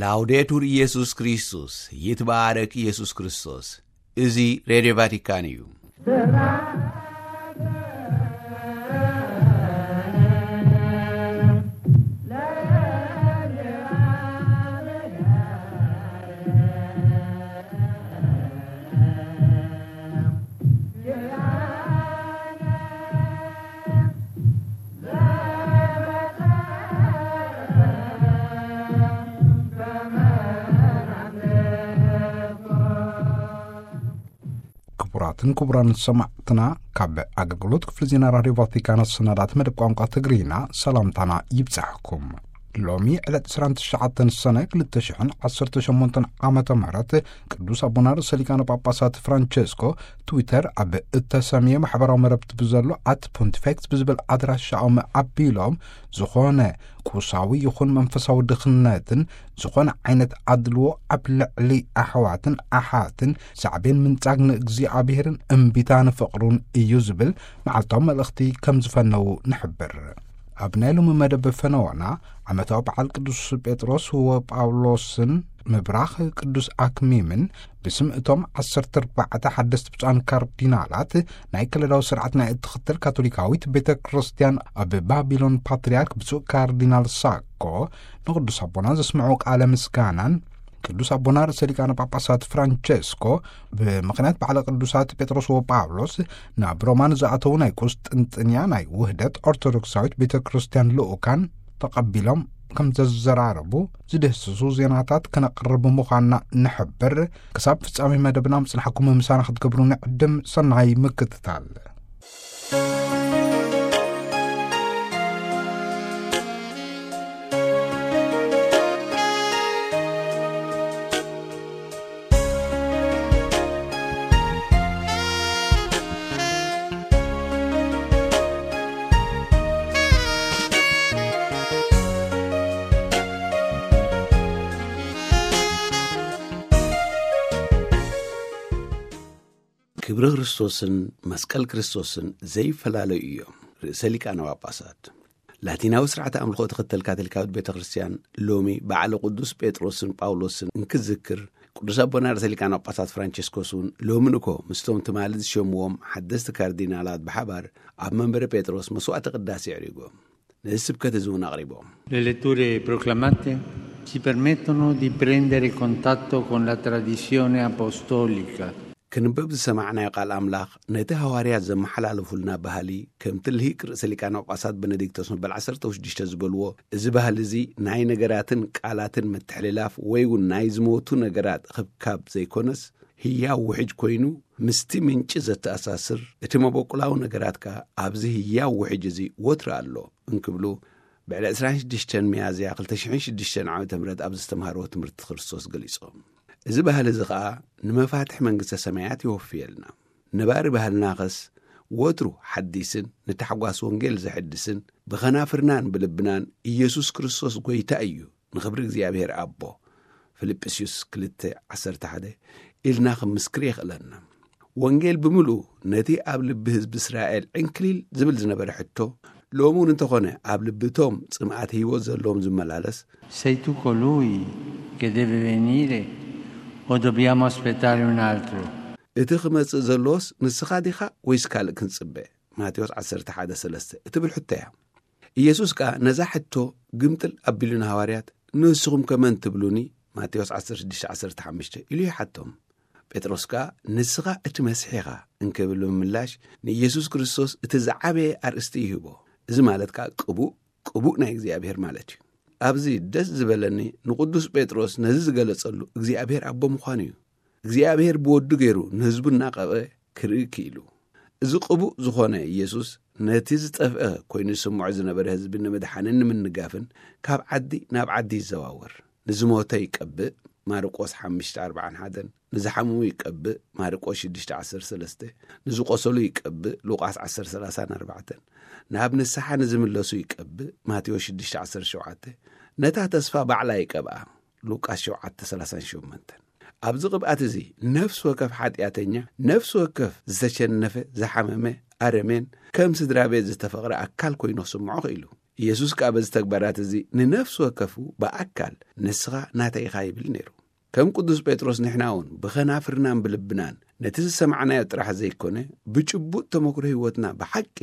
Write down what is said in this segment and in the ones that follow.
ላውዴቱር ኢየሱስ ክርስቶስ፣ ይትባረክ ኢየሱስ ክርስቶስ። እዚ ሬድዮ ቫቲካን እዩ። ክቡራትን ክቡራን ሰማዕትና፣ ካብ ኣገልግሎት ክፍሊ ዜና ራድዮ ቫቲካን ኣሰናዳት መደብ ቋንቋ ትግርኛ ሰላምታና ይብጻሕኩም። ሎሚ ዕለት ዕስራን ትሽዓተን ሰነ ክልተ ሽሕን ዓሰርተ ሸሞንተን ዓመተ ምህረት ቅዱስ ኣቦና ርእሰ ሊቃነ ጳጳሳት ፍራንቸስኮ ትዊተር ኣብ እተሰምየ ማሕበራዊ መረብቲ ብዘሎ ኣት ፖንቲፌክስ ብዝብል ኣድራሻኦም ኣቢሎም፣ ዝኾነ ቁሳዊ ይኹን መንፈሳዊ ድኽነትን ዝኾነ ዓይነት ኣድልዎ ኣብ ልዕሊ ኣሕዋትን ኣሓትን ሳዕቤን ምንጻግ ንእግዚኣብሔርን እምቢታ ንፍቕሩን እዩ ዝብል መዓልታዊ መልእኽቲ ከም ዝፈነዉ ንሕብር። ኣብ ናይ ሎሚ መደብ ፈነወና ዓመታዊ በዓል ቅዱስ ጴጥሮስ ወጳውሎስን ምብራኽ ቅዱስ ኣክሚምን ብስም እቶም ዓሰርተ ኣርባዕተ ሓደስቲ ብፁዓን ካርዲናላት ናይ ከለዳዊ ስርዓት ናይ እትኽተል ካቶሊካዊት ቤተ ክርስቲያን ኣብ ባቢሎን ፓትርያርክ ብፁዕ ካርዲናል ሳኮ ንቅዱስ ኣቦና ዘስምዑ ቃለ ምስጋናን ቅዱስ ኣቦና ርእሰ ሊቃነ ጳጳሳት ፍራንቸስኮ ብምኽንያት በዓለ ቅዱሳት ጴጥሮስ ወጳውሎስ ናብ ሮማ ንዝኣተዉ ናይ ቁስጥንጥንያ ናይ ውህደት ኦርቶዶክሳዊት ቤተ ክርስቲያን ልኡካን ተቐቢሎም ከም ዘዘራረቡ ዝድህስሱ ዜናታት ከነቕርብ ምዃንና ንሕብር። ክሳብ ፍጻሜ መደብና ምጽናሕኩም ምሳና ክትገብሩ ንዕድም። ሰናይ ምክትታል። ክብሪ ክርስቶስን መስቀል ክርስቶስን ዘይፈላለዩ እዮም። ርእሰ ሊቃነ ጳጳሳት ላቲናዊ ስርዓተ ኣምልኾ ትኽተል ካቶሊካዊት ቤተ ክርስቲያን ሎሚ በዓለ ቅዱስ ጴጥሮስን ጳውሎስን እንክዝክር፣ ቅዱስ ኣቦና ርእሰ ሊቃነ ጳጳሳት ፍራንቸስኮስ እውን ሎሚ ንኮ ምስቶም ትማሊ ዝሸምዎም ሓደስቲ ካርዲናላት ብሓባር ኣብ መንበረ ጴጥሮስ መስዋዕተ ቅዳሴ ኣዕሪጎም። ነዚ ስብከት እዚ እውን ኣቕሪቦም። Le letture proclamate ci permettono di prendere contatto con la tradizione apostolica. ክንበብ ዝሰማዕናዮ ቃል ኣምላኽ ነቲ ሃዋርያት ዘመሓላለፉልና ባህሊ፣ ከምቲ ልሂቅ ርእሰ ሊቃነ ጳጳሳት ቤኔዲክቶስ መበል ዓሰርተ ሽዱሽተ ዝበልዎ፣ እዚ ባህሊ እዚ ናይ ነገራትን ቃላትን ምትሕልላፍ ወይ እውን ናይ ዝሞቱ ነገራት ኽብካብ ዘይኮነስ፣ ህያው ውሕጅ ኮይኑ ምስቲ ምንጪ ዘተኣሳስር፣ እቲ መበቁላዊ ነገራት ከኣ ኣብዚ ህያው ውሕጅ እዚ ወትሩ ኣሎ እንክብሉ፣ ብዕለ ዕስራን ሽዱሽተን ሚያዝያ ክልተ ሽሕን ሽዱሽተን ዓመተ ምህረት ኣብ ዘስተምሃርዎ ትምህርቲ ክርስቶስ ገሊጾም። እዚ ባህሊ እዚ ኸኣ ንመፋትሕ መንግስተ ሰማያት ይወፍየልና። ነባሪ ባህልናኸስ ወትሩ ሓዲስን ንታሕጓስ ወንጌል ዘሐድስን ብኸናፍርናን ብልብናን ኢየሱስ ክርስቶስ ጐይታ እዩ፣ ንኽብሪ እግዚኣብሔር ኣቦ፣ ፊልጵስዩስ ክልተ ዓሰርተ ሓደ፣ ኢልና ኽንምስክር የኽእለና። ወንጌል ብምሉኡ ነቲ ኣብ ልቢ ህዝቢ እስራኤል ዕንክሊል ዝብል ዝነበረ ሕቶ፣ ሎሚ እውን እንተኾነ ኣብ ልቢ እቶም ጽምኣት ህይወት ዘለዎም ዝመላለስ፣ Sei tu colui che deve venire o dobbiamo aspettare un altro? እቲ ክመጽእ ዘሎስ ንስኻ ዲኻ ወይስ ካልእ ክንጽበ? ማቴዎስ ዓሰርተ ሓደ ሰለስተ እትብል ሕቶ እያ። ኢየሱስ ከኣ ነዛ ሕቶ ግምጥል ኣቢሉ ንሃዋርያት፣ "ንስኹም ከ መን ትብሉኒ?" ማቴዎስ ዓሰርተ ሽዱሽተ ዓሰርተ ሓሙሽተ ኢሉ ይሓቶም። ጴጥሮስ ከኣ፣ "ንስኻ እቲ መሲሕ ኢኻ" እንክብል ብምምላሽ፣ ንኢየሱስ ክርስቶስ እቲ ዝዓበየ ኣርእስቲ ይህቦ። እዚ ማለት ከኣ ቅቡእ፣ ቅቡእ ናይ እግዚኣብሔር ማለት እዩ። ኣብዚ ደስ ዝበለኒ ንቅዱስ ጴጥሮስ ነዚ ዝገለጸሉ እግዚኣብሔር ኣቦ ምዃኑ እዩ። እግዚኣብሔር ብወዱ ገይሩ ንህዝቡ እናቐብአ ክርኢ ክኢሉ። እዚ ቅቡእ ዝኾነ ኢየሱስ ነቲ ዝጠፍአ ኮይኑ ዝስምዖ ዝነበረ ህዝቢ ንምድሓንን ንምንጋፍን ካብ ዓዲ ናብ ዓዲ ይዘዋወር። ንዝሞተ ይቀብእ፣ ማርቆስ ሓሙሽተ ኣርባዓን ሓደን፣ ንዝሓመሙ ይቀብእ፣ ማርቆስ ሽዱሽተ ዓሰርተ ሰለስተ፣ ንዝቆሰሉ ይቀብእ፣ ሉቃስ ዓሰርተ ሰላሳን ኣርባዕተን፣ ናብ ንስሓ ንዝምለሱ ይቀብእ፣ ማቴዎስ ሽዱሽተ ዓሰርተ ሸውዓተ፣ ነታ ተስፋ ባዕላ ይቀብኣ፣ ሉቃስ ሸውዓተ ሰላሳን ሸሞንተን። ኣብዚ ቅብኣት እዚ ነፍሲ ወከፍ ሓጢኣተኛ፣ ነፍሲ ወከፍ ዝተሸነፈ፣ ዝሓመመ፣ ኣረሜን፣ ከም ስድራ ቤት ዝተፈቕረ ኣካል ኮይኑ ክስምዖ ክኢሉ። ኢየሱስ ከኣ በዚ ተግባራት እዚ ንነፍሲ ወከፉ ብኣካል ንስኻ ናተይ ኢኻ ይብል ነይሩ። ከም ቅዱስ ጴጥሮስ ንሕና እውን ብኸናፍርናን ብልብናን ነቲ ዝሰማዕናዮ ጥራሕ ዘይኮነ፣ ብጭቡጥ ተመክሮ ህይወትና ብሓቂ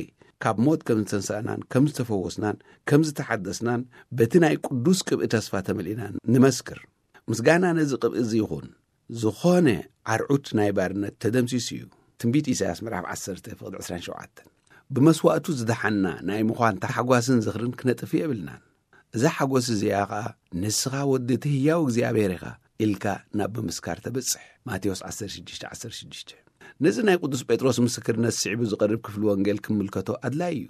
ካብ ሞት ከም ዝተንሳእናን ከም ዝተፈወስናን ከም ዝተሓደስናን በቲ ናይ ቅዱስ ቅብኢ ተስፋ ተመሊእና ንመስክር። ምስጋና ነዚ ቅብኢ እዚ ይኹን፣ ዝኾነ ዓርዑት ናይ ባርነት ተደምሲሱ እዩ። ትንቢት ኢሳያስ ምዕራፍ ዓሰርተ ፍቕዲ ዕስራን ሸውዓተን። ብመስዋእቱ ዝደሓና ናይ ምዃን ታሕጓስን ዝኽርን ክነጥፍ የብልናን። እዛ ሓጎስ እዚኣ ኸኣ ንስኻ ወዲ እቲ ህያው እግዚኣብሔር ኢኻ ኢልካ ናብ ምምስካር ተበጽሕ። ማቴዎስ ዓሰርተ ሽዱሽተ ዓሰርተ ሽዱሽተ። ነዚ ናይ ቅዱስ ጴጥሮስ ምስክርነት ስዒቡ ዝቐርብ ክፍሊ ወንጌል ክምልከቶ ኣድላዪ እዩ።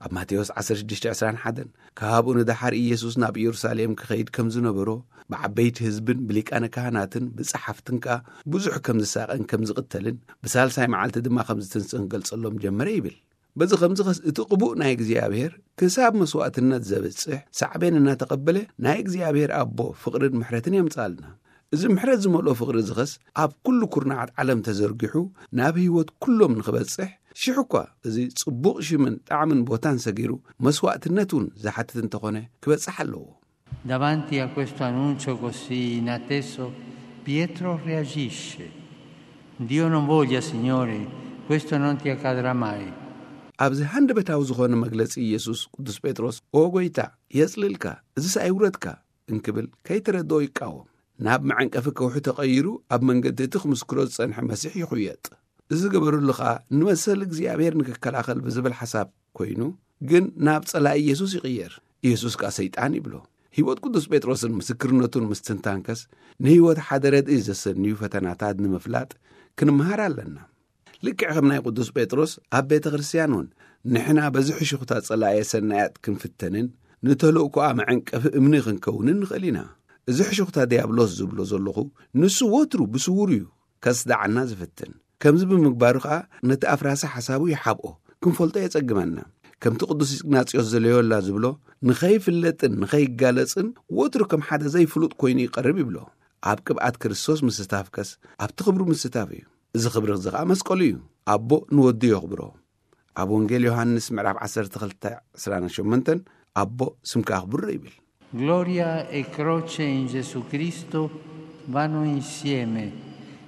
ኣብ ማቴዎስ ዓሰርተ ሽዱሽተ ዕስራን ሓደን፣ ካብኡ ንደሓር ኢየሱስ ናብ ኢየሩሳሌም ክኸይድ ከም ዝነበሮ፣ ብዓበይቲ ህዝብን ብሊቃነ ካህናትን ብጸሓፍትን ከኣ ብዙሕ ከም ዝሳቐን ከም ዝቕተልን ብሳልሳይ መዓልቲ ድማ ከም ዝትንስእን ክገልጸሎም ጀመረ ይብል። በዚ ኸምዚ ኸስ እቲ ቅቡእ ናይ እግዚኣብሔር ክሳብ መስዋእትነት ዘብጽሕ ሳዕቤን እናተቐበለ ናይ እግዚኣብሔር ኣቦ ፍቕርን ምሕረትን የምጽኣልና። እዚ ምሕረት ዝመልኦ ፍቕሪ እዚ ኸስ ኣብ ኩሉ ኩርናዓት ዓለም ተዘርጊሑ ናብ ህይወት ኩሎም ንኽበጽሕ ሽሕ እኳ እዚ ጽቡቕ ሽምን ጣዕምን ቦታን ሰጊሩ መስዋእትነት እውን ዝሓትት እንተኾነ ክበጽሕ ኣለዎ። Davanti a questo annuncio così inatteso, Pietro reagisce. Dio non voglia, Signore, questo non ti accadrà mai. ኣብዚ ሃንደበታዊ ዝኾነ መግለጺ ኢየሱስ ቅዱስ ጴጥሮስ ኦ ጎይታ የጽልልካ፣ እዝስ ኣይውረድካ እንክብል ከይተረድኦ ይቃወም። ናብ መዐንቀፊ ከውሒ ተቐይሩ ኣብ መንገዲ እቲ ክምስክሮ ዝጸንሐ መሲሕ ይኹየጥ። እዚ ገበረሉ ኸኣ ንመሰል እግዚኣብሔር ንክከላኸል ብዝብል ሓሳብ ኮይኑ ግን ናብ ጸላኢ ኢየሱስ ይቕየር። ኢየሱስ ከኣ ሰይጣን ይብሎ። ህይወት ቅዱስ ጴጥሮስን ምስክርነቱን ምስትንታንከስ ንህይወት ሓደ ረድኢ ዘሰንዩ ፈተናታት ንምፍላጥ ክንምሃር ኣለና። ልክዕ ከም ናይ ቅዱስ ጴጥሮስ ኣብ ቤተ ክርስቲያን እውን ንሕና በዚ ሕሹኽታ ጸላእየ ሰናያት ክንፍተንን ንተልእኮኣ መዐንቀፊ እምኒ ክንከውንን ንኽእል ኢና። እዚ ሕሹኽታ ዲያብሎስ ዝብሎ ዘለኹ ንሱ ወትሩ ብስውር እዩ ከስዳዓና ዝፍትን። ከምዚ ብምግባሩ ኸኣ ነቲ ኣፍራሲ ሓሳቡ ይሓብኦ፣ ክንፈልጦ የጸግመና። ከምቲ ቅዱስ ኢግናጽዮስ ዘሎዮላ ዝብሎ ንኸይፍለጥን ንኸይጋለጽን ወትሩ ከም ሓደ ዘይፍሉጥ ኮይኑ ይቐርብ ይብሎ። ኣብ ቅብኣት ክርስቶስ ምስታፍከስ ኣብቲ ክብሩ ምስታፍ እዩ። እዚ ክብሪ እዚ ኸኣ መስቀሉ እዩ። ኣቦ ንወዱ የኽብሮ። ኣብ ወንጌል ዮሃንስ ምዕራፍ ዓሰርተ ክልተ ዕስራን ሸሞንተን ኣቦ ስምካ ኣኽብሮ ይብል። Gloria e croce in Gesù Cristo vanno insieme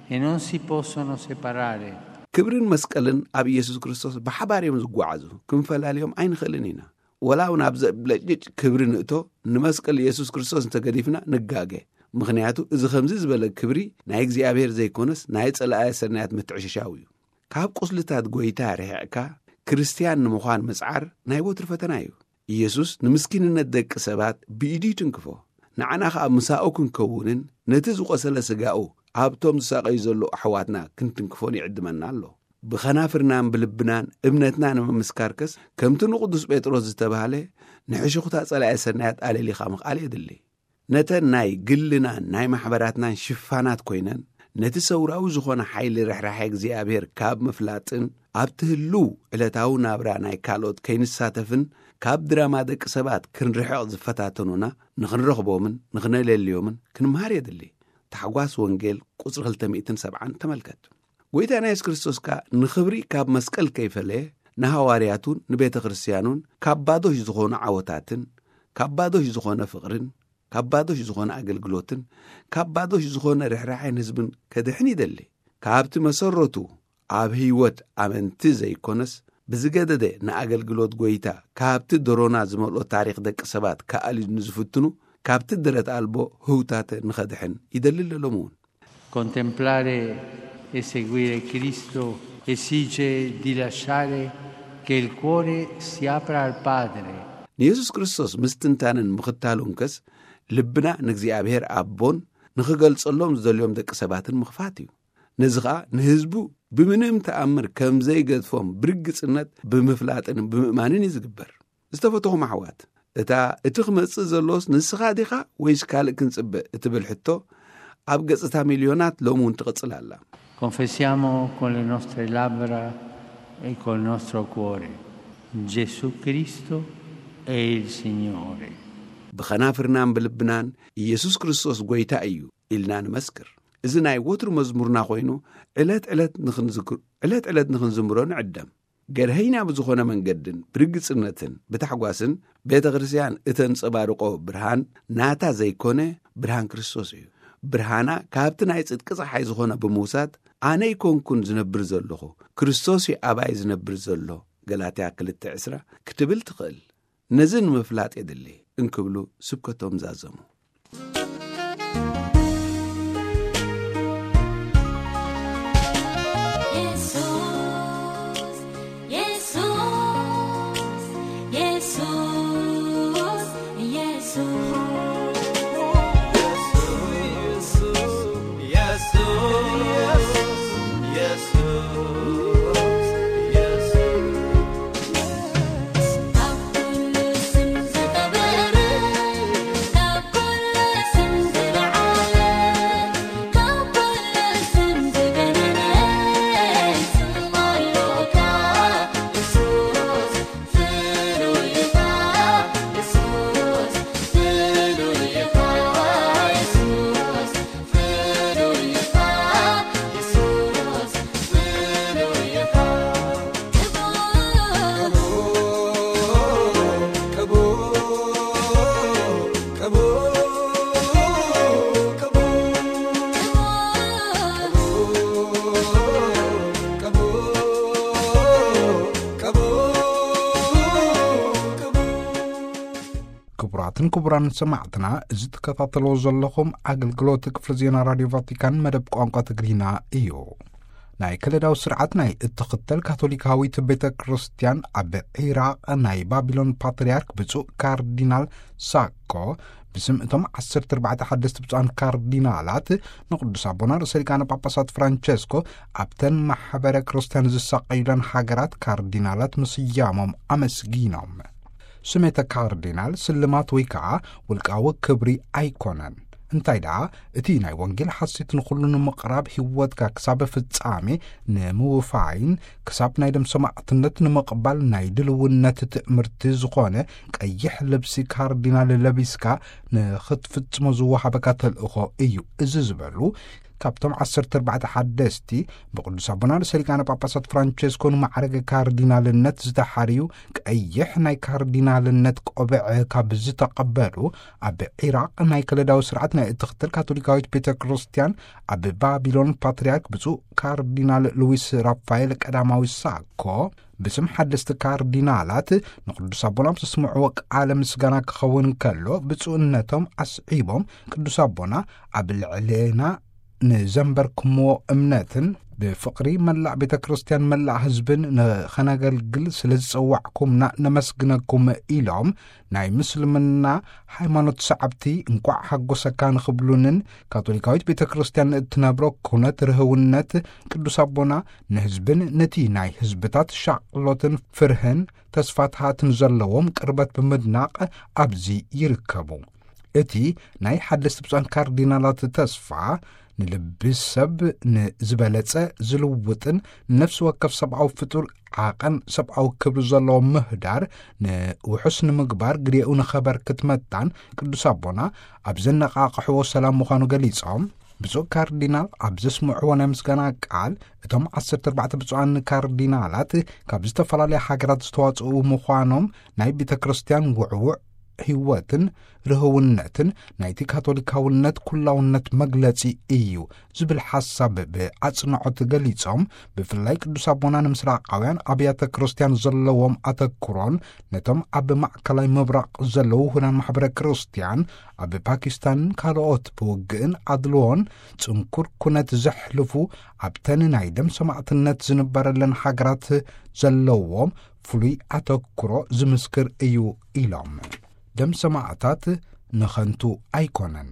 e non si possono separare. ክብርን መስቀልን ኣብ ኢየሱስ ክርስቶስ ብሓባር እዮም ዝጓዓዙ። ክንፈላልዮም ኣይንኽእልን ኢና። ወላ እውን ኣብ ዘብለጭልጭ ክብሪ ንእቶ ንመስቀል ኢየሱስ ክርስቶስ እንተገዲፍና ንጋገ። ምኽንያቱ እዚ ከምዚ ዝበለ ክብሪ ናይ እግዚኣብሔር ዘይኮነስ ናይ ጸላእየ ሰናያት ምትዕሽሻው እዩ። ካብ ቁስልታት ጎይታ ርሒቕካ ክርስትያን ንምዃን ምጽዓር ናይ ወትሩ ፈተና እዩ። ኢየሱስ ንምስኪንነት ደቂ ሰባት ብኢዱ ይትንክፎ። ንዓና ኸኣ ምሳኡ ክንከውንን ነቲ ዝቖሰለ ስጋኡ ኣብቶም ዝሳቐዩ ዘለዉ ኣሕዋትና ክንትንክፎን ይዕድመና ኣሎ። ብኸናፍርናን ብልብናን እምነትና ንምምስካርከስ ከምቲ ንቅዱስ ጴጥሮስ ዝተባህለ ንሕሹኽታ ጸላኢ ሰናያት ኣለሊኻ ምኽኣል የድሊ። ነተን ናይ ግልናን ናይ ማሕበራትናን ሽፋናት ኮይነን ነቲ ሰውራዊ ዝኾነ ሓይሊ ርሕራሐ እግዚኣብሔር ካብ ምፍላጥን ኣብቲ ህልው ዕለታዊ ናብራ ናይ ካልኦት ከይንሳተፍን ካብ ድራማ ደቂ ሰባት ክንርሕቕ ዝፈታተኑና ንኽንረኽቦምን ንኽነለልዮምን ክንምሃር የድሊ። ታሕጓስ ወንጌል ቁጽሪ ክልተ ሚእትን ሰብዓን ተመልከት። ጎይታና የሱስ ክርስቶስ ከኣ ንኽብሪ ካብ መስቀል ከይፈለየ ንሃዋርያቱን ንቤተ ክርስቲያኑን ካብ ባዶሽ ዝኾኑ ዓወታትን ካብ ባዶሽ ዝኾነ ፍቕርን ካብ ባዶሽ ዝኾነ ኣገልግሎትን ካብ ባዶሽ ዝኾነ ርሕራሐን ህዝብን ከድሕን ይደሊ። ካብቲ መሰረቱ ኣብ ህይወት ኣመንቲ ዘይኮነስ ብዝገደደ ንኣገልግሎት ጎይታ ካብቲ ደሮና ዝመልኦ ታሪኽ ደቂ ሰባት ክኣልዩ ንዝፍትኑ ካብቲ ደረት ኣልቦ ህውታተ ንኸድሕን ይደሊ ኣለሎም እውን። Contemplare e seguire Cristo esige di lasciare che il cuore si apra al Padre. ንየሱስ ክርስቶስ ምስትንታንን ምኽታሉንከስ ልብና ንእግዚኣብሔር ኣቦን ንኽገልጸሎም ዝደልዮም ደቂ ሰባትን ምኽፋት እዩ። ነዚ ኸኣ ንህዝቡ ብምንም ተኣምር ከም ዘይገድፎም ብርግጽነት ብምፍላጥን ብምእማንን እዩ ዝግበር። ዝተፈተኹም ኣሕዋት፣ እታ እቲ ክመጽእ ዘሎስ ንስኻ ዲኻ ወይስ ካልእ ክንጽበ እትብል ሕቶ ኣብ ገጽ እታ ሚልዮናት ሎሚ እውን ትቕጽል ኣላ። Confessiamo con le nostre labbra e col nostro cuore: Gesù Cristo è il Signore. ብኸናፍርናን ብልብናን ኢየሱስ ክርስቶስ ጐይታ እዩ ኢልና ንመስክር። እዚ ናይ ወትሩ መዝሙርና ኮይኑ ዕለት ዕለት ንኽንዝክር ዕለት ዕለት ንኽንዝምሮ ንዕደም። ገርሀይና ብዝኾነ መንገድን ብርግጽነትን ብታሕጓስን ቤተ ክርስቲያን እተንጸባርቆ ብርሃን ናታ ዘይኮነ ብርሃን ክርስቶስ እዩ። ብርሃና ካብቲ ናይ ጽድቂ ጸሓይ ዝኾነ ብምውሳድ፣ "ኣነ ኣይኮንኩን ዝነብር ዘለኹ፣ ክርስቶስ እዩ ኣባይ ዝነብር ዘሎ" ገላትያ ክልተ ዕስራ ክትብል ትኽእል። ነዚ ንምፍላጥ የድሊ እንክብሉ ስብከቶም ዛዘሙ። ክቡራትን ክቡራን ሰማዕትና፣ እዚ ትከታተልዎ ዘለኹም ኣገልግሎት ክፍሊ ዜና ራድዮ ቫቲካን መደብ ቋንቋ ትግርኛ እዩ። ናይ ከለዳዊ ስርዓት ናይ እትኽተል ካቶሊካዊት ቤተ ክርስቲያን ኣብ ዒራቕ ናይ ባቢሎን ፓትርያርክ ብፁዕ ካርዲናል ሳኮ ብስም እቶም ዓሰርተ ኣርባዕተ ሓደስቲ ብፁዓን ካርዲናላት ንቅዱስ ኣቦና ርእሰ ሊቃነ ጳጳሳት ፍራንቸስኮ ኣብተን ማሕበረ ክርስቲያን ዝሳቀዩለን ሃገራት ካርዲናላት ምስያሞም ኣመስጊኖም። ስሜተ ካርዲናል ስልማት ወይ ከዓ ውልቃዊ ክብሪ ኣይኮነን። እንታይ ደኣ፣ እቲ ናይ ወንጌል ሓሴት ንኹሉ ንምቕራብ፣ ህይወትካ ክሳብ ፍጻሜ ንምውፋይን ክሳብ ናይ ደም ሰማዕትነት ንምቕባል ናይ ድልውነት ትእምርቲ ዝኾነ ቀይሕ ልብሲ ካርዲናል ለቢስካ ንኽትፍጽሞ ዝወሃበካ ተልእኾ እዩ። እዚ ዝበሉ ካብቶም ዓሰርተ ኣርባዕተ ሓደስቲ ብቅዱስ ኣቦና ርእሰ ሊቃነ ጳጳሳት ፍራንቸስኮ ንማዕረገ ካርዲናልነት ዝተሓርዩ ቀይሕ ናይ ካርዲናልነት ቆብዕ ካብ ዝተቐበሉ፣ ኣብ ዒራቕ ናይ ከለዳዊ ስርዓት ናይ እትኽተል ካቶሊካዊት ቤተ ክርስቲያን ኣብ ባቢሎን ፓትርያርክ ብፁዕ ካርዲናል ሉዊስ ራፋኤል ቀዳማዊ ሳኮ ብስም ሓደስቲ ካርዲናላት ንቅዱስ ኣቦና ኣብ ዘስምዕዎ ቃለ ምስጋና ክኸውን ከሎ፣ ብፁዕነቶም ኣስዒቦም ቅዱስ ኣቦና ኣብ ልዕሌና ንዘንበርኩምዎ እምነትን ብፍቕሪ መላእ ቤተ ክርስቲያን መላእ ህዝብን ንኸነገልግል ስለ ዝጸዋዕኩምና ነመስግነኩም ኢሎም፣ ናይ ምስልምና ሃይማኖት ሰዓብቲ እንቋዕ ሓጎሰካ ንኽብሉንን ካቶሊካዊት ቤተ ክርስቲያን እትነብሮ ኩነት ርህውነት ቅዱስ ኣቦና ንህዝብን ነቲ ናይ ህዝብታት ሻቕሎትን ፍርህን ተስፋታትን ዘለዎም ቅርበት ብምድናቕ ኣብዚ ይርከቡ። እቲ ናይ ሓደስቲ ብፁዓን ካርዲናላት ተስፋ ንልቢ ሰብ ንዝበለጸ ዝልውጥን ንነፍሲ ወከፍ ሰብኣዊ ፍጡር ዓቐን ሰብኣዊ ክብሪ ዘለዎ ምህዳር ንውሑስ ንምግባር ግዴኡ ንኸበርክት መታን ቅዱስ ኣቦና ኣብ ዘነቓቕሕዎ ሰላም ምዃኑ ገሊጾም፣ ብፁዕ ካርዲናል ኣብ ዘስምዕዎ ናይ ምስጋና ቃል፣ እቶም ዓሰርተ ኣርባዕተ ብፁዓን ካርዲናላት ካብ ዝተፈላለያ ሃገራት ዝተዋጽኡ ምዃኖም ናይ ቤተ ክርስቲያን ውዕዉዕ ህይወትን ርህውነትን ናይቲ ካቶሊካውነት ኩላውነት መግለጺ እዩ ዝብል ሓሳብ ብኣጽንዖት ገሊጾም፣ ብፍላይ ቅዱስ ኣቦና ንምስራቃውያን ኣብያተ ክርስቲያን ዘለዎም ኣተኩሮን ነቶም ኣብ ማእከላይ ምብራቕ ዘለዉ ውሁዳን ማሕበረ ክርስቲያን ኣብ ፓኪስታንን ካልኦት ብውግእን ኣድልዎን ጽንኩር ኩነት ዘሕልፉ ኣብተን ናይ ደም ሰማዕትነት ዝንበረለን ሃገራት ዘለዎም ፍሉይ ኣተኩሮ ዝምስክር እዩ ኢሎም። ደም ሰማዕታት ንኸንቱ ኣይኮነን።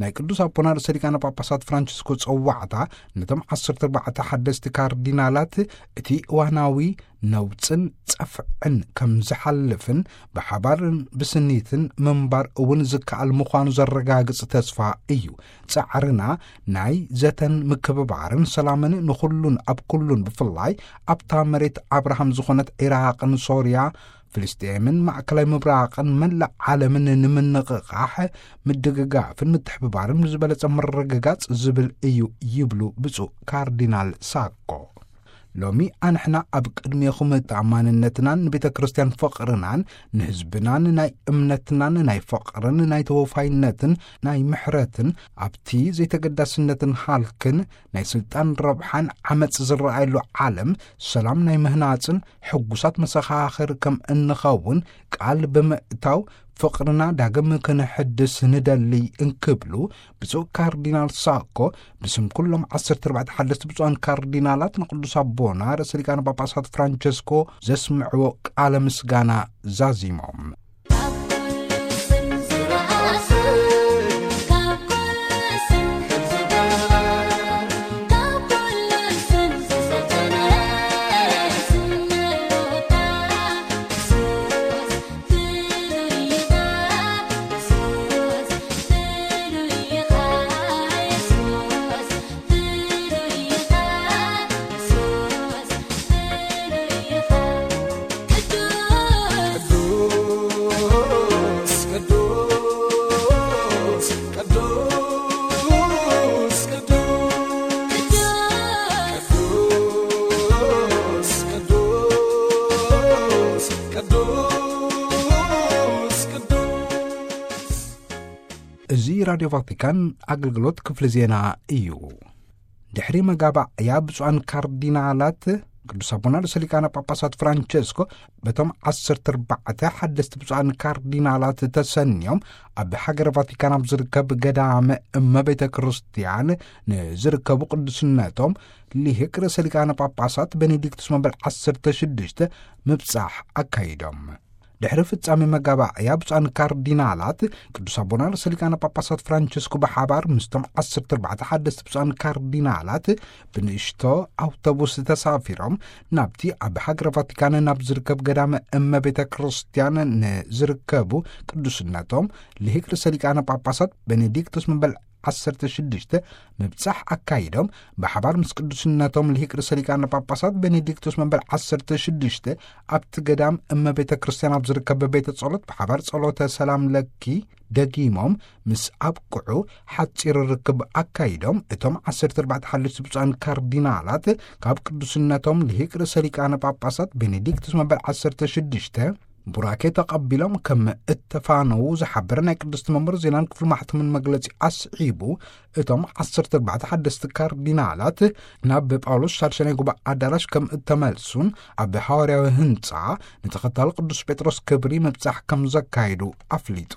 ናይ ቅዱስ ኣቦና ርእሰ ሊቃነ ጳጳሳት ፍራንቸስኮ ጸዋዕታ ነቶም ዓሰርተ ኣርባዕተ ሓደስቲ ካርዲናላት እቲ እዋናዊ ነውጽን ጸፍዕን ከም ዝሓልፍን ብሓባርን ብስኒትን ምንባር እውን ዝከኣል ምዃኑ ዘረጋግጽ ተስፋ እዩ። ጻዕርና ናይ ዘተን ምክብባርን ሰላምን ንኹሉን ኣብ ኩሉን ብፍላይ ኣብታ መሬት ኣብርሃም ዝኾነት ዒራቕን ሶርያ ፍልስጤምን ማእከላይ ምብራቕን መላእ ዓለምን ንምንቕቓሕ ምድግጋፍን ምትሕብባርን ብዝበለጸ ምርግጋጽ ዝብል እዩ ይብሉ ብፁዕ ካርዲናል ሳኮ። ሎሚ ኣንሕና ኣብ ቅድሜኹም ተኣማንነትናን ንቤተ ክርስቲያን ፍቕርናን ንህዝብናን ናይ እምነትናን ናይ ፍቕርን ናይ ተወፋይነትን ናይ ምሕረትን ኣብቲ ዘይተገዳስነትን ሃልክን ናይ ስልጣን ረብሓን ዓመጽ ዝረኣየሉ ዓለም ሰላም ናይ ምህናጽን ሕጉሳት መሰኻኽር ከም እንኸውን ቃል ብምእታው ፍቕርና ዳግም ክንሕድስ ንደሊ እንክብሉ ብፁዕ ካርዲናል ሳኮ ብስም ኩሎም ዓሰርተ ኣርባዕተ ሓደስቲ ብፁዓን ካርዲናላት ንቅዱስ ኣቦና ርእሰ ሊቃነ ጳጳሳት ፍራንቸስኮ ዘስምዕዎ ቃለ ምስጋና ዛዚሞም። እዚ ራድዮ ቫቲካን ኣገልግሎት ክፍሊ ዜና እዩ። ድሕሪ መጋባእያ ብፁዓን ካርዲናላት ቅዱስ ኣቦና ርእሰ ሊቃነ ጳጳሳት ፍራንቸስኮ በቶም ዓሰርተ ኣርባዕተ ሓደስቲ ብፁዓን ካርዲናላት ተሰንዮም ኣብ ሃገረ ቫቲካን ኣብ ዝርከብ ገዳመ እመ ቤተ ክርስቲያን ንዝርከቡ ቅዱስነቶም ሊሂቅ ርእሰ ሊቃነ ጳጳሳት ቤኔዲክቱስ መበል ዓሰርተ ሽዱሽተ ምብጻሕ ኣካይዶም። ድሕሪ ፍጻሜ መጋባእያ ብፁዓን ካርዲናላት ቅዱስ ኣቦና ርእሰ ሊቃነ ጳጳሳት ፍራንቸስኮ ብሓባር ምስቶም ዓሰርተ ኣርባዕተ ሓደስቲ ብፁዓን ካርዲናላት ብንእሽቶ ኣውቶቡስ ተሳፊሮም ናብቲ ኣብ ሃገረ ቫቲካን ናብ ዝርከብ ገዳመ እመ ቤተ ክርስቲያን ንዝርከቡ ቅዱስነቶም ልሂቅ ርእሰ ሊቃነ ጳጳሳት ቤኔዲክቱስ መበል ዓሰርተ ሽዱሽተ ምብጻሕ ኣካይዶም ብሓባር ምስ ቅዱስነቶም ልሂቅ ርእሰ ሊቃነ ጳጳሳት ቤኔዲክቱስ መበል ዓሰርተ ሽዱሽተ ኣብቲ ገዳም እመ ቤተ ክርስቲያን ኣብ ዝርከብ ቤተ ጸሎት ብሓባር ጸሎተ ሰላም ለኪ ደጊሞም ምስ ኣብቅዑ ሓጺር ርክብ ኣካይዶም እቶም ዓሰርተ ኣርባዕተ ሓለፍቲ ብፁዓን ካርዲናላት ካብ ቅዱስነቶም ልሂቅ ርእሰ ሊቃነ ጳጳሳት ቤኔዲክቱስ መበል ዓሰርተ ሽዱሽተ ቡራኬ ተቐቢሎም ከም እተፋነዉ ዝሓበረ ናይ ቅድስቲ መንበር ዜናን ክፍሊ ማሕተምን መግለጺ ኣስዒቡ፣ እቶም ዓሰርተ ኣርባዕተ ሓደስቲ ካርዲናላት ናብ ጳውሎስ ሳልሳይ ናይ ጉባኤ ኣዳራሽ ከም እተመልሱን ኣብ ሃዋርያዊ ህንጻ ንተኸታሊ ቅዱስ ጴጥሮስ ክብሪ ምብጻሕ ከም ዘካየዱ ኣፍሊጡ።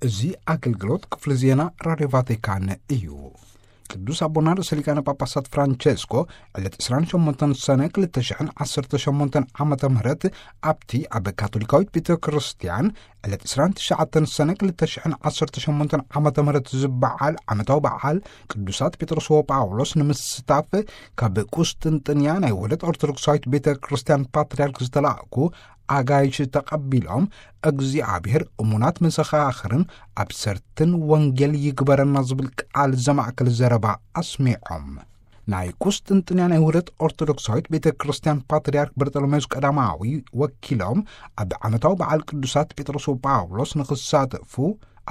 እዚ ኣገልግሎት ክፍሊ ዜና ራድዮ ቫቲካን እዩ። ቅዱስ ኣቦና ርእሰ ሊቃነ ጳጳሳት ፍራንቸስኮ ዕለት ዕስራን ሸሞንተን ሰነ ክልተ ሽሕን ዓሰርተ ሸሞንተን ዓመተ ምህረት ኣብቲ ኣብ ካቶሊካዊት ቤተ ክርስቲያን ዕለት ዕስራን ትሽዓተን ሰነ ክልተ ሽሕን ዓሰርተ ሸሞንተን ዓመተ ምህረት ዝበዓል ዓመታዊ በዓል ቅዱሳት ጴጥሮስ ወጳውሎስ ንምስታፍ ካብ ቁስጥንጥንያ ናይ ውህደት ኦርቶዶክሳዊት ቤተ ክርስቲያን ፓትርያርክ ዝተላእኩ ኣጋይሽ ተቐቢሎም፣ እግዚኣብሔር እሙናት መሰኻኽርን ኣብሰርትን ወንጌል ይግበረና ዝብል ቃል ዘማእከለ ዘረባ ኣስሚዖም። ናይ ቁስጥንጥንያ ናይ ውህደት ኦርቶዶክሳዊት ቤተ ክርስቲያን ፓትርያርክ በርጠሎሜዎስ ቀዳማዊ ወኪሎም፣ ኣብ ዓመታዊ በዓል ቅዱሳት ጴጥሮስ ወጳውሎስ ንኽሳተፉ፣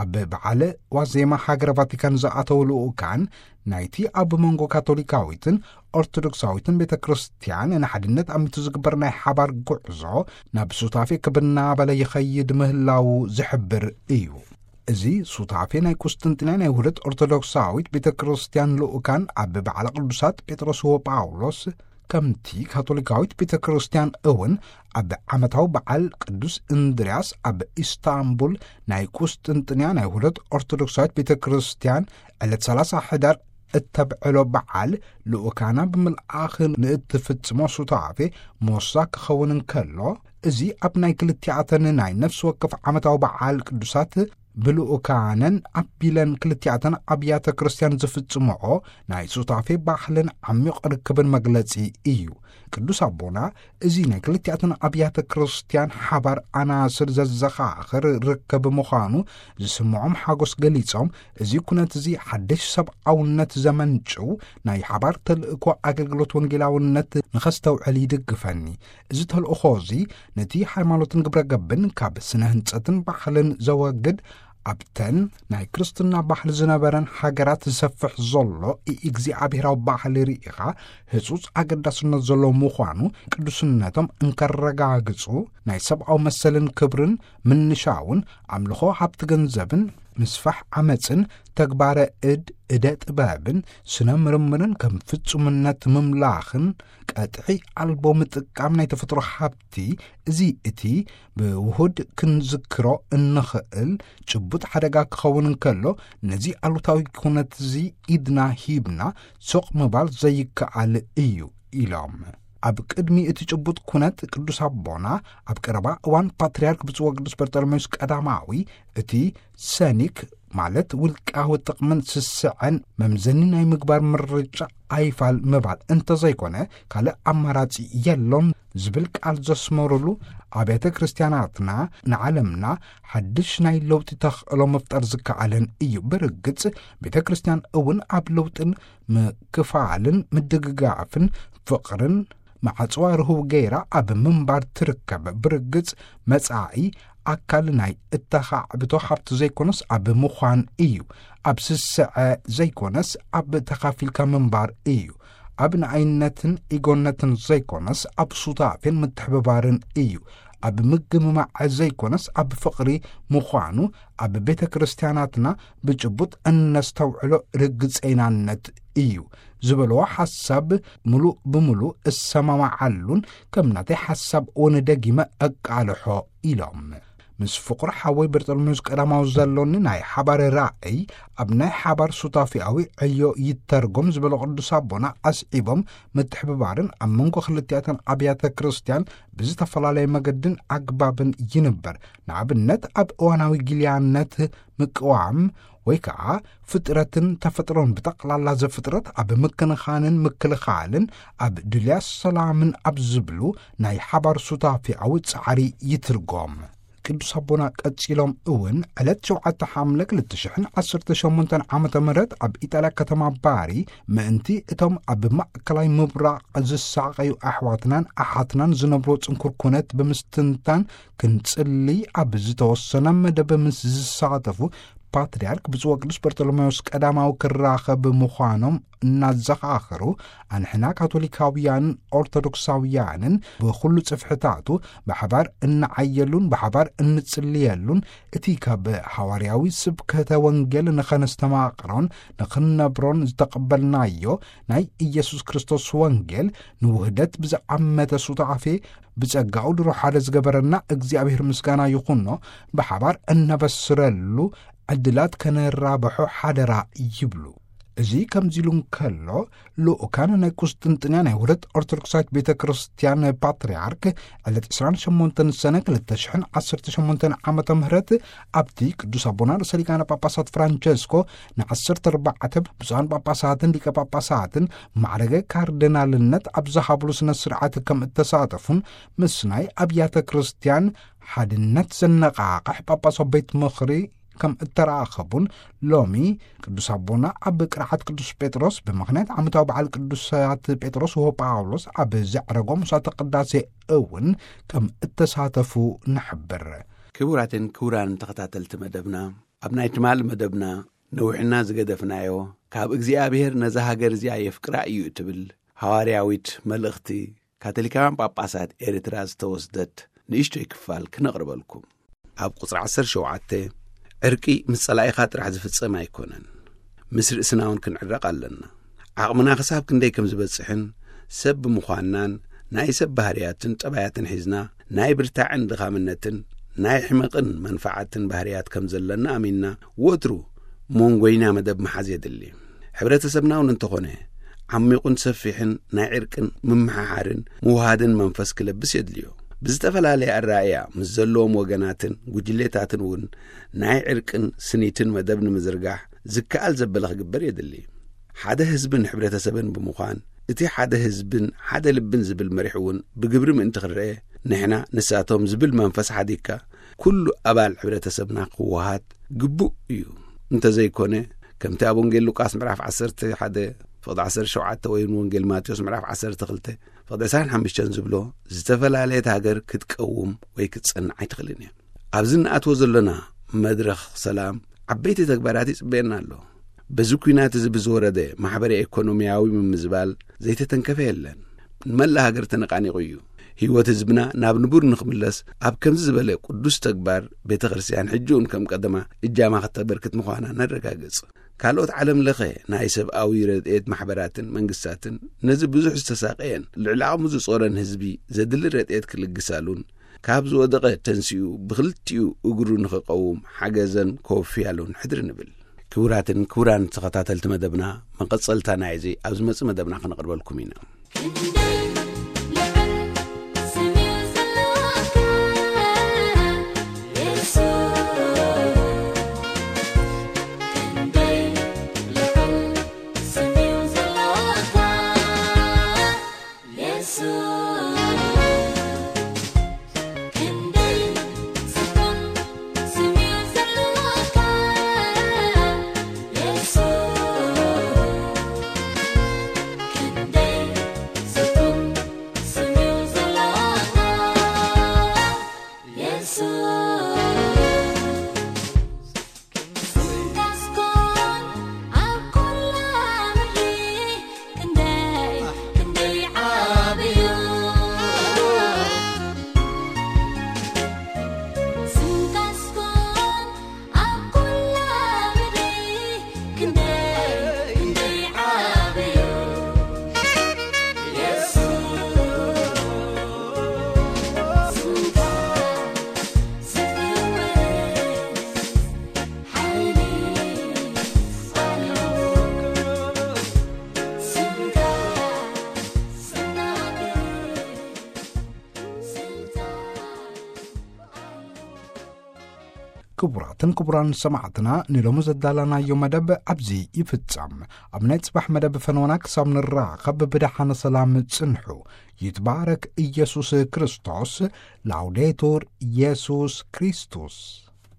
ኣብ በዓል ዋዜማ ሃገረ ቫቲካን ዝኣተው ልኡካን፣ ናይቲ ኣብ መንጎ ካቶሊካዊትን ኦርቶዶክሳዊትን ቤተ ክርስቲያን ንሓድነት ኣሚቱ ዝግበር ናይ ሓባር ጉዕዞ ናብ ሱታፌ ክብር እናበለ ይኸይድ ምህላዉ ዝሕብር እዩ። እዚ ሱታፌ ናይ ቁስጥንጥንያ ናይ ውህደት ኦርቶዶክሳዊት ቤተ ክርስቲያን ልኡካን ኣብ በዓለ ቅዱሳት ጴጥሮስ ወጳውሎስ፣ ከምቲ ካቶሊካዊት ቤተ ክርስቲያን እውን ኣብ ዓመታዊ በዓል ቅዱስ እንድርያስ ኣብ ኢስታንቡል ናይ ቁስጥንጥንያ ናይ ውህደት ኦርቶዶክሳዊት ቤተ ክርስቲያን ዕለት ሰላሳ ሕዳር እተብዕሎ በዓል ልኡካና ብምልኣኽ ንእትፍጽሞ ሱታፌ ሞሳ ክኸውን እንከሎ፣ እዚ ኣብ ናይ ክልቲኣተን ናይ ነፍሲ ወከፍ ዓመታዊ በዓል ቅዱሳት ብልኡካነን ኣቢለን ክልቲኣተን ኣብያተ ክርስቲያን ዝፍጽምኦ ናይ ሱታፌ ባህልን ዓሚቕ ርክብን መግለጺ እዩ። ቅዱስ ኣቦና እዚ ናይ ክልቲኣተን ኣብያተ ክርስቲያን ሓባር ኣናስር ዘዘኻኽር ርክብ ምዃኑ ዝስምዖም ሓጎስ ገሊጾም፣ እዚ ኩነት እዚ ሓድሽ ሰብኣውነት ዘመንጭው ናይ ሓባር ተልእኮ ኣገልግሎት ወንጌላውነት ንኸስተውዕል ይድግፈኒ። እዚ ተልእኾ እዚ ነቲ ሃይማኖትን ግብረ ገብን ካብ ስነ ህንጸትን ባህልን ዘወግድ፣ ኣብተን ናይ ክርስትና ባህሊ ዝነበረን ሃገራት ዝሰፍሕ ዘሎ እግዚኣብሔራዊ ባህሊ ርኢኻ ህጹጽ ኣገዳስነት ዘለዎ ምዃኑ ቅዱስነቶም እንከረጋግጹ፣ ናይ ሰብኣዊ መሰልን ክብርን ምንሻውን ኣምልኾ ሃብቲ ገንዘብን ምስፋሕ ዓመጽን ተግባረ እድ እደ ጥበብን ስነ ምርምርን ከም ፍጹምነት ምምላኽን ቀጥዒ ኣልቦ ምጥቃም ናይ ተፈጥሮ ሃብቲ፣ እዚ እቲ ብውሁድ ክንዝክሮ እንኽእል ጭቡጥ ሓደጋ ክኸውን እንከሎ፣ ነዚ ኣሉታዊ ኩነት እዚ ኢድና ሂብና ሱቕ ምባል ዘይከኣል እዩ ኢሎም። ኣብ ቅድሚ እቲ ጭቡጥ ኩነት ቅዱስ ኣቦና ኣብ ቀረባ እዋን ፓትርያርክ ብፁዕ ወቅዱስ በርጠሎሜዎስ ቀዳማዊ እቲ ሰኒክ ማለት ውልቃዊ ጥቕምን ስስዐን መምዘኒ ናይ ምግባር ምርጫ ኣይፋል ምባል እንተዘይኮነ ካልእ ኣማራጺ የሎን ዝብል ቃል ዘስመሩሉ፣ ኣብያተ ክርስቲያናትና ንዓለምና ሓድሽ ናይ ለውጢ ተኽእሎ ምፍጣር ዝከኣለን እዩ። ብርግጽ ቤተ ክርስቲያን እውን ኣብ ለውጥን ምክፋልን ምድግጋፍን ፍቕርን ማዕጽዋ ርሁው ገይራ ኣብ ምንባር ትርከብ። ብርግጽ መጻኢ ኣካል ናይ እተኻዕብቶ ሃብቲ ዘይኮነስ ኣብ ምዃን እዩ። ኣብ ስስዐ ዘይኮነስ ኣብ ተኻፊልካ ምንባር እዩ። ኣብ ንኣይነትን ኢጎነትን ዘይኮነስ ኣብ ሱታፌን ምትሕብባርን እዩ። ኣብ ምግምማዕ ዘይኮነስ ኣብ ፍቕሪ ምዃኑ ኣብ ቤተ ክርስቲያናትና ብጭቡጥ እነስተውዕሎ ርግጸይናነት እዩ ዝበልዎ ሓሳብ ምሉእ ብምሉእ እሰማማዓሉን ከም ናተይ ሓሳብ እውን ደጊመ ኣቃልሖ ኢሎም። ምስ ፍቑር ሓወይ በርጠሎሜዎስ ቀዳማዊ ዘሎኒ ናይ ሓባር ራእይ ኣብ ናይ ሓባር ሱታፊያዊ ዕዮ ይተርጎም ዝበሎ ቅዱስ ኣቦና ኣስዒቦም፣ ምትሕብባርን ኣብ መንጎ ክልቲኣተን ኣብያተ ክርስቲያን ብዝተፈላለየ መገድን ኣግባብን ይንበር። ንኣብነት ኣብ እዋናዊ ጊልያነት ምቅዋም ወይ ከዓ ፍጥረትን ተፈጥሮን ብጠቕላላ ዘፍጥረት ኣብ ምክንኻንን ምክልኻልን ኣብ ድልያ ሰላምን ኣብ ዝብሉ ናይ ሓባር ሱታፊያዊ ጻዕሪ ይትርጎም። ቅዱስ ኣቦና ቀጺሎም እውን ዕለት ሸውዓተ ሓምለ ክልተ ሽሕን ዓሰርተ ሸሞንተን ዓመተ ምህረት ኣብ ኢጣልያ ከተማ ባሪ ምእንቲ እቶም ኣብ ማእከላይ ምብራቕ ዝሳቐዩ ኣሕዋትናን ኣሓትናን ዝነብሮ ጽንኩር ኩነት ብምስትንታን ክንጽሊ ኣብ ዝተወሰነ መደብ ምስ ዝሳተፉ ፓትርያርክ ብፁዕ ወቅዱስ በርቶሎሜዎስ ቀዳማዊ ክራኸብ ምዃኖም እናዘኻኸሩ፣ ኣንሕና ካቶሊካውያንን ኦርቶዶክሳውያንን ብኹሉ ጽፍሕታቱ ብሓባር እንዓየሉን ብሓባር እንጽልየሉን፣ እቲ ካብ ሃዋርያዊ ስብከተ ወንጌል ንኸነስተማቕሮን ንኽንነብሮን ዝተቐበልናዮ ናይ ኢየሱስ ክርስቶስ ወንጌል ንውህደት ብዝዓመተ ሱታፌ ብጸጋኡ ድሮ ሓደ ዝገበረና እግዚኣብሔር ምስጋና ይኹኖ፣ ብሓባር እነበስረሉ ዕድላት ከነራብሖ ሓደራ ይብሉ። እዚ ከምዚ ኢሉ እንከሎ፣ ልኡካን ናይ ቁስጥንጥንያ ናይ ውህደት ኦርቶዶክሳዊት ቤተ ክርስቲያን ፓትርያርክ ዕለት ዕስራን ሸሞንተን ሰነ ክልተ ሽሕን ዓሰርተ ሸሞንተን ዓመተ ምህረት ኣብቲ ቅዱስ ኣቦና ርእሰ ሊቃነ ጳጳሳት ፍራንቸስኮ ንዓሰርተ ኣርባዕተ ብፁዓን ጳጳሳትን ሊቀ ጳጳሳትን ማዕረገ ካርዲናልነት ኣብ ዝሃብሉ ስነ ስርዓት ከም እተሳተፉን ምስ ናይ ኣብያተ ክርስቲያን ሓድነት ዘነቓቕሕ ጳጳሳዊ ቤት ምኽሪ ከም እተራኸቡን፣ ሎሚ ቅዱስ ኣቦና ኣብ ቅርዓት ቅዱስ ጴጥሮስ ብምኽንያት ዓመታዊ በዓል ቅዱሳት ጴጥሮስ ወጳውሎስ ኣብ ዘዕረጎ ምሥዋዕተ ቅዳሴ እውን ከም እተሳተፉ ንሕብር። ክቡራትን ክቡራንን ተኸታተልቲ መደብና፣ ኣብ ናይ ትማሊ መደብና ነዊሕና ዝገደፍናዮ፣ ካብ እግዚኣብሔር ነዛ ሃገር እዚኣ የፍቅራ እዩ እትብል ሃዋርያዊት መልእኽቲ ካቶሊካውያን ጳጳሳት ኤርትራ ዝተወስደት ንእሽቶይ ክፋል ክነቕርበልኩም። ኣብ ቁጽሪ ዓሰርተ ሸውዓተ፣ ዕርቂ ምስ ጸላኢኻ ጥራሕ ዝፍጸም ኣይኮነን። ምስ ርእስና እውን ክንዕረቕ ኣለና። ዓቕምና ክሳብ ክንደይ ከም ዝበጽሕን ሰብ ብምዃንናን ናይ ሰብ ባህርያትን ጠባያትን ሒዝና ናይ ብርታዕን ድኻምነትን ናይ ሕመቕን መንፋዓትን ባህርያት ከም ዘለና ኣሚንና ወትሩ መንጎይና መደብ ምሓዝ የድሊ። ሕብረተሰብና እውን እንተኾነ ዓሚቑን ሰፊሕን ናይ ዕርቅን ምምሓሓርን ምውሃድን መንፈስ ክለብስ የድልዮ። ብዝተፈላለየ ኣረኣእያ ምስ ዘለዎም ወገናትን ጉጅሌታትን እውን ናይ ዕርቅን ስኒትን መደብ ንምዝርጋሕ ዝከኣል ዘበለ ክግበር የድሊ። ሓደ ህዝብን ሕብረተሰብን ብምዃን እቲ ሓደ ህዝብን ሓደ ልብን ዝብል መሪሕ እውን ብግብሪ ምእንቲ ክረአ ንሕና ንሳቶም ዝብል መንፈስ ሓዲግካ ኩሉ ኣባል ሕብረተሰብና ክወሃድ ግቡእ እዩ። እንተዘይኮነ ከምቲ ኣብ ወንጌል ሉቃስ ምዕራፍ ዓሰርተ ሓደ ፍቕዲ ዓሰርተ ሸውዓተ ወይ እውን ወንጌል ማቴዎስ ምዕራፍ ዓሰርተ ክልተ ፍቕዲ ዕስራን ሓሙሽተን ዝብሎ ዝተፈላለየት ሃገር ክትቀውም ወይ ክትጸንዕ ኣይትኽእልን እያ። ኣብዚ እንኣትዎ ዘለና መድረኽ ሰላም ዓበይቲ ተግባራት ይጽበየና ኣሎ። በዚ ኲናት እዚ ብዝወረደ ማሕበረ ኢኮኖሚያዊ ምምዝባል ዘይተተንከፈ የለን። ንመላእ ሃገር ተነቃኒቑ እዩ። ህይወት ህዝብና ናብ ንቡር ንኽምለስ ኣብ ከምዚ ዝበለ ቅዱስ ተግባር ቤተ ክርስቲያን ሕጂ እውን ከም ቀደማ እጃማ ከተበርክት ምዃና ነረጋግጽ። ካልኦት ዓለም ለኸ ናይ ሰብኣዊ ረድኤት ማሕበራትን መንግስታትን ነዚ ብዙሕ ዝተሳቀየን ልዕሊ ዓቕሙ ዝጾረን ህዝቢ ዘድሊ ረድኤት ክልግሳሉን ካብ ዝወደቐ ተንሲኡ ብኽልቲኡ እግሩ ንኽቀውም ሓገዘን ከወፍያሉን ሕድሪ ንብል። ክቡራትን ክቡራን ተኸታተልቲ መደብና፣ መቐጸልታ ናይዚ ኣብ ዝመጽእ መደብና ከነቕርበልኩም ኢና። ክንደይ ልዑል ስም እዩ ዘለካ የሱስ። ክንደይ ልዑል ስም እዩ ዘለካ የሱስ። ክንደይ ጽቡቕ ስም እዩ ዘለካ የሱስ። ክንደይ ጽቡቕ ስም እዩ ዘለካ የሱስ። ስምካስ ኮን ኣብ ኩላ ምድሪ ክንደይ ክንደይ ዓብዩ። ስምካስ ኮን ኣብ ኩላ ምድሪ ክንደይ ክንደይ ዓብዩ። የሱስ ስምካ ዝፍውስ ሓይሊ ኣለዎ። ስምካ ዝናገር ስልጣን ኣለዎ። ክቡራትን ክቡራን ሰማዕትና፣ ንሎሚ ዘዳለናዮ መደብ ኣብዚ ይፍጸም። ኣብ ናይ ጽባሕ መደብ ፈነወና ክሳብ ንራኸብ ብደሓነ ሰላም ጽንሑ። ይትባረክ ኢየሱስ ክርስቶስ። ላውዴቱር ኢየሱስ ክርስቶስ።